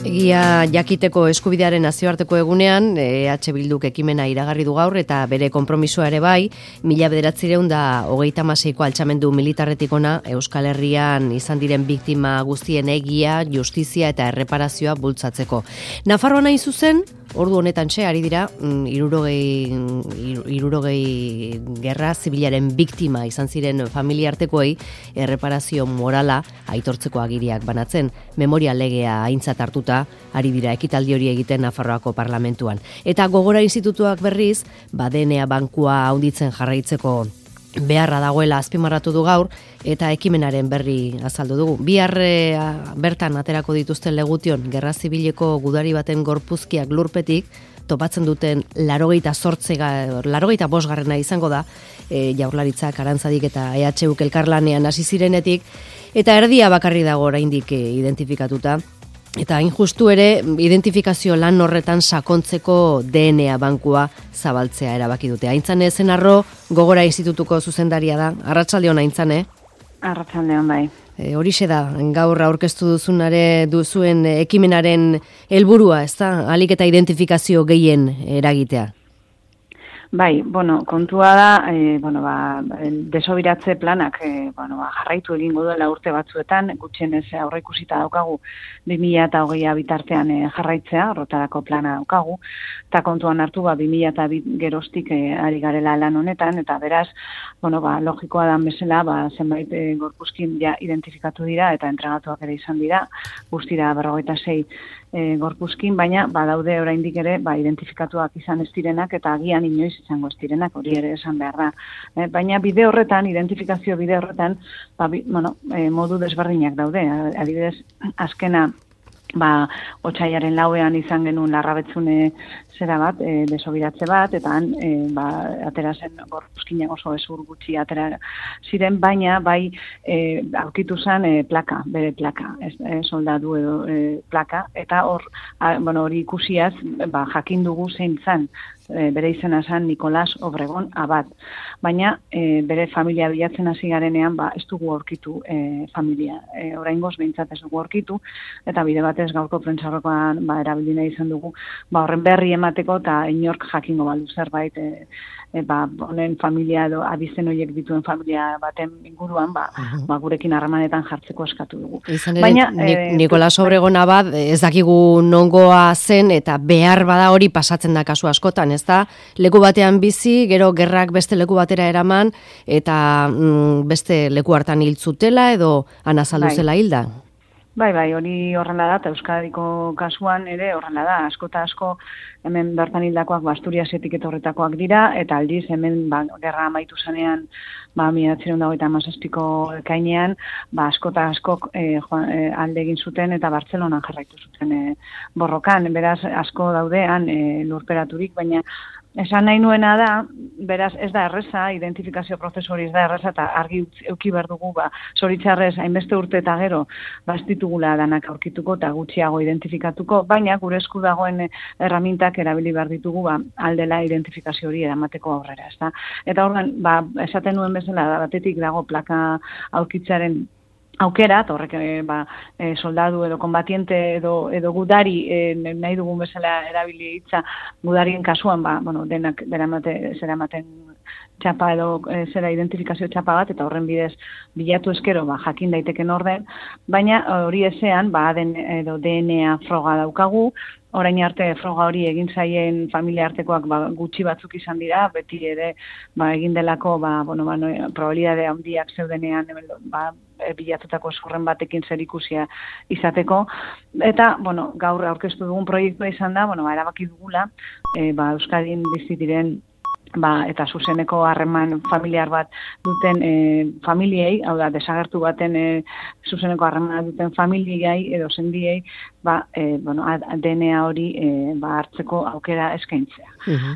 Egia jakiteko eskubidearen nazioarteko egunean, EH Bilduk ekimena iragarri du gaur eta bere konpromisoa ere bai, 1936ko altxamendu militarretik ona Euskal Herrian izan diren biktima guztien egia, justizia eta erreparazioa bultzatzeko. Nafarroan hain zuzen, ordu honetan ari dira, 60 gerra zibilaren biktima izan ziren familiartekoei erreparazio morala aitortzeko agiriak banatzen, memoria legea aintzat hartuta ari dira ekitaldi hori egiten Nafarroako parlamentuan. Eta Gogora Institutuak berriz, DNA bankua handitzen jarraitzeko beharra dagoela azpimarratu du gaur, eta ekimenaren berri azaldu dugu. Bihar bertan aterako dituzten Legution gerra zibileko gudari baten gorpuzkiak lurpetik, topatzen duten 85. izango da, Jaurlaritzak, Arantzadik eta EHUk elkarlanean hasi zirenetik, eta erdia bakarri dago oraindik identifikatuta. Eta hain justu ere, identifikazio lan horretan sakontzeko DNA bankua zabaltzea erabaki dute. Aintzane Zenarro, Gogora Institutuko zuzendaria da. Arratsaldeon Aintzane. Arratsaldeon bai. Horixe da, gaur aurkeztu duzuen ekimenaren helburua, ezta? Ahalik eta identifikazio gehien eragitea. Bai, kontua da, desobiratze planak, jarraitu egingo duela urte batzuetan, gutxienez aurreikusita daukagu 2020 bitartean jarraitzea, horretarako plana daukagu, eta kontuan hartu 2002 geroztik ari garela lan honetan, eta beraz, logikoa da bezala, zenbait gorpuzkin ja identifikatu dira, eta entregatuak ere izan dira, guztira 46 gorpuzkin, baina badaude oraindik ere identifikatuak izan ez direnak eta agian inoiz izango ez direnak, hori ere esan behar da. Baina bide horretan, identifikazio bide horretan, modu desberdinak daude. Adibidez, azkena Otsaiaren 4ean izan genuen Larrabetzune zera bat, desobiratze bat, eta han atera zen gorpuzkinak oso ezur gutxi atera ziren, baina aurkitu zen plaka, bere plaka, soldadu edo plaka, eta hori ikusiaz jakin dugu zein zan, bere izena zen Nikolas Obregon Abad. Baina bere familia bilatzen hasi garenean ez dugu aurkitu familia. Oraingoz behintzat ez dugu aurkitu, eta bide batez gaurko prentsarrokoan erabili nahi izan dugu horren berri emateko eta inork jakingo balu zerbait honen familia edo abizen horiek dituen familia baten inguruan gurekin harremanetan jartzeko eskatu dugu. Baina Nikolas Obregon Abad ez dakigu nongoa zen eta behar bada hori pasatzen da kasu askotan, ez da? Leku batean bizi, gero gerrak beste leku batera eraman eta beste leku hartan hil zutela edo anazaldu zela hilda? Bai, hori horrela da, eta Euskadiko kasuan ere horrela da, asko eta asko hemen bertan hildakoak Asturiasetik etorretakoak dira, eta aldiz hemen gerra amaitu zanean 1957ko ekainean, asko eta askok alde egin zuten eta Bartzelonan jarraitu zuten borrokan, beraz asko daudean lurperaturik, baina esan nahi nuena da, beraz ez da erreza, identifikazio prozesu hori ez da erreza, eta argi euki behar dugu, zoritxarrez, hainbeste urte eta gero, ez ditugula danak aurkituko eta gutxiago identifikatuko, baina gure esku dagoen erramintak erabili behar ditugu, aldela identifikazio hori eramateko aurrera, ez da? Eta orduan, esaten nuen bezala, batetik dago plaka aurkitzaren aukera, eta horrek soldadu edo konbatiente edo gudari nahi dugun bezala erabili hitza gudarien kasuan, denak zeramaten txapa edo zera identifikazio txapa bat, eta horren bidez bilatu eskero jakin daiteken orden, baina hori ezean edo DNA froga daukagu, orain arte froga hori egin zaien familia artekoak gutxi batzuk izan dira, beti ere egin delako probabilidade handiak zeudenean bilatutako zurren batekin zerikusia izateko, eta gaur aurkeztu dugun proiektua izan da, erabaki dugula Euskadin bizi diren eta zuzeneko harreman familiar bat duten familiei, hau da, desagertu baten zuzeneko harremana duten familiei edo sendiei, DNA hori hartzeko aukera eskaintzea.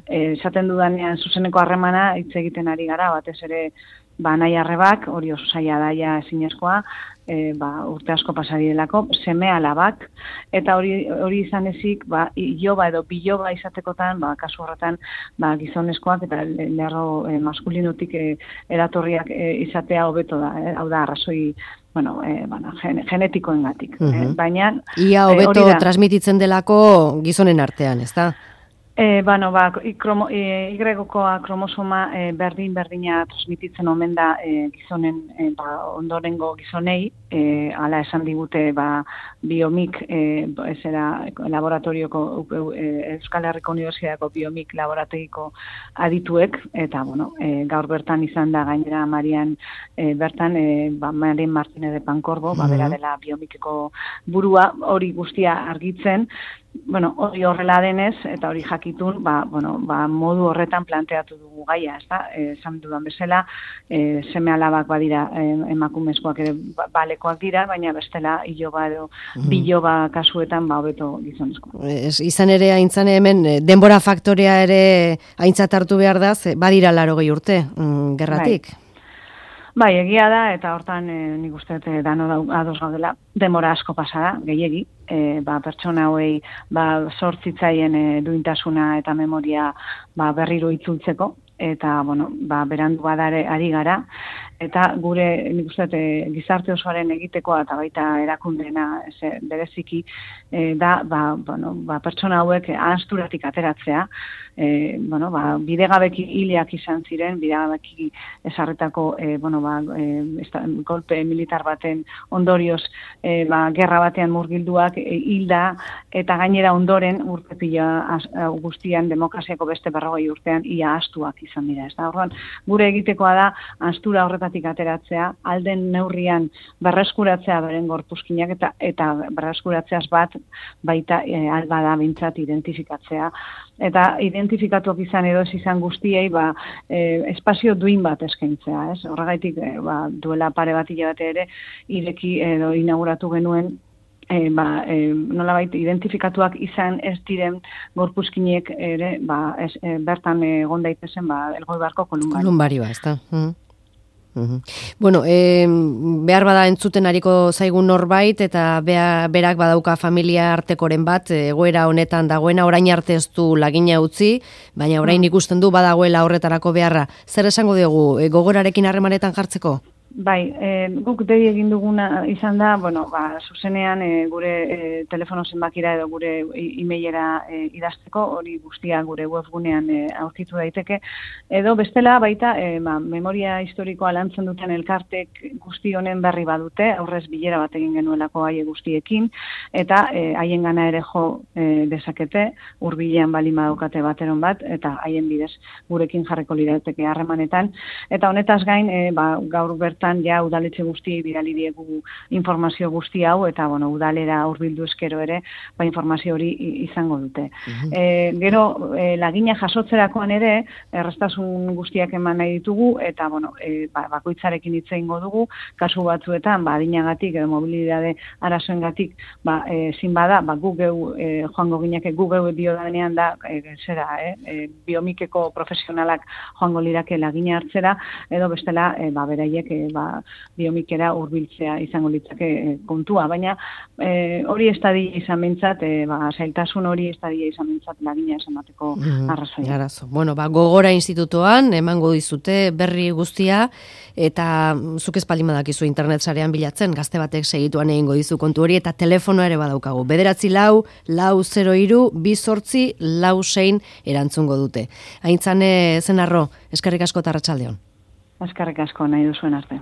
Esaten dudanean zuzeneko harremana hitz egiten ari gara, batez ere nahi arrebak, hori oso zaila daia ezinezkoa, urte asko pasarielako, seme alabak, eta hori izan ezik, iloba edo biloba izatekotan, kasu horretan, gizonezkoak eta lerro maskulinotik eratorriak izatea hobeto da, hau da, arrazoi, genetikoengatik. Baina... Ia hobeto transmititzen delako gizonen artean, ez da? Y-koa kromosoma berdina transmititzen omen da gizonen ondorengo gizonei, hala esan digute biomik, laboratorioko Euskal Herriko Unibertsitateko biomik laborategiko adituek, eta gaur bertan izan da gainera Marian bertan, Marian Martínez de Pancorbo, bera dela biomikeko burua, hori guztia argitzen, hori horrela denez, eta hori jakitun, modu horretan planteatu dugu gaia, ez da? Esan dudan bezala, seme alabak badira emakumezkoak ere balekoak dira, baina bestela iloba edo biloba kasuetan hobeto gizonezkoa. Izan ere, aintzane hemen, denbora faktorea ere aintzat hartu behar da, badira 80 urte, gerratik. Bai, egia da, eta hortan nik uste dano ados gaudela, denbora asko pasada, gehiegi, pertsona hauei sortzitzaien duintasuna eta memoria berriro itzultzeko, eta, berandu badare ari gara, eta gure, nik uste, gizarte osoaren egitekoa eta baita erakundeena bereziki da, pertsona hauek ahasturatik ateratzea, bidegabeki hileak izan ziren, bidegabeki esarretako, golpe militar baten ondorioz, gerra batean murgilduak hilda, eta gainera ondoren urte pila guztian demokraziako beste 40 urtean ia ahastuak izan dira. Orduan, gure egitekoa da ahastura horretatik ateratzea, alden neurrian berreskuratzea beren gorpuzkinak eta berreskuratzeaz bat baita albada bintzat identifikatzea. Eta identifikatuak izan edo ez izan guztiei espazio duin bat eskaintzea. Horregaitik duela pare bat hilabete ere ireki edo inauguratu genuen nolabait identifikatuak izan ez diren gorpuzkinek ere bertan egon daitezen Elgoibarko kolumbarioa, ez da? Bueno, behar bada entzuten ariko zaigun norbait eta berak badauka familia artekoren bat, egoera honetan dagoena, orain arte ez du lagina utzi, baina orain ikusten du badagoela horretarako beharra. Zer esango dugu, gogorarekin harremanetan jartzeko? Bai, guk dei egin duguna izan da, zuzenean gure telefono zenbakira edo gure e-mailera idazteko, hori guztia gure webgunean aurkitu daiteke, edo bestela baita memoria historikoa lantzen duten elkartek guzti honen berri badute, aurrez bilera bat egin genuelako haie guztiekin, eta haien gana ere jo dezakete, hurbilean baldin badaukate bateron bat, eta haien bidez gurekin jarriko lirateke harremanetan, eta honetaz gain, gaur bertan ja udaletxe guzti bidali diegu informazio guzti hau, eta udalera hurbildu eskero ere, informazio hori izango dute. Gero, lagina jasotzerakoan ere, errestasun guztiak eman nahi ditugu, eta bakoitzarekin hitz egingo dugu, kasu batzuetan, adinagatik edo mobilidade arazoengatik, ezin bada, gu geu joango gineke, gu geu diodanean da, biomikeko profesionalak joango lirake lagina hartzera, edo bestela, beraiek biomikera hurbiltzea izango litzake kontua, baina hori ez dadila izan bintzat, zailtasun hori ez dadila izan bintzat lagina esamateko arrazoia. Bueno, Gogora Institutoan emango dizute berri guztia, eta zuk ez baldin badakizu internet sarean bilatzen, gazte batek segituan egingo dizu kontu hori, eta telefonoa ere badaukagu. 944-208-286 erantzungo dute. Aintzane Zenarro, eskerrik asko eta arratsaldeon. Eskerrik asko nahi duzuen arte.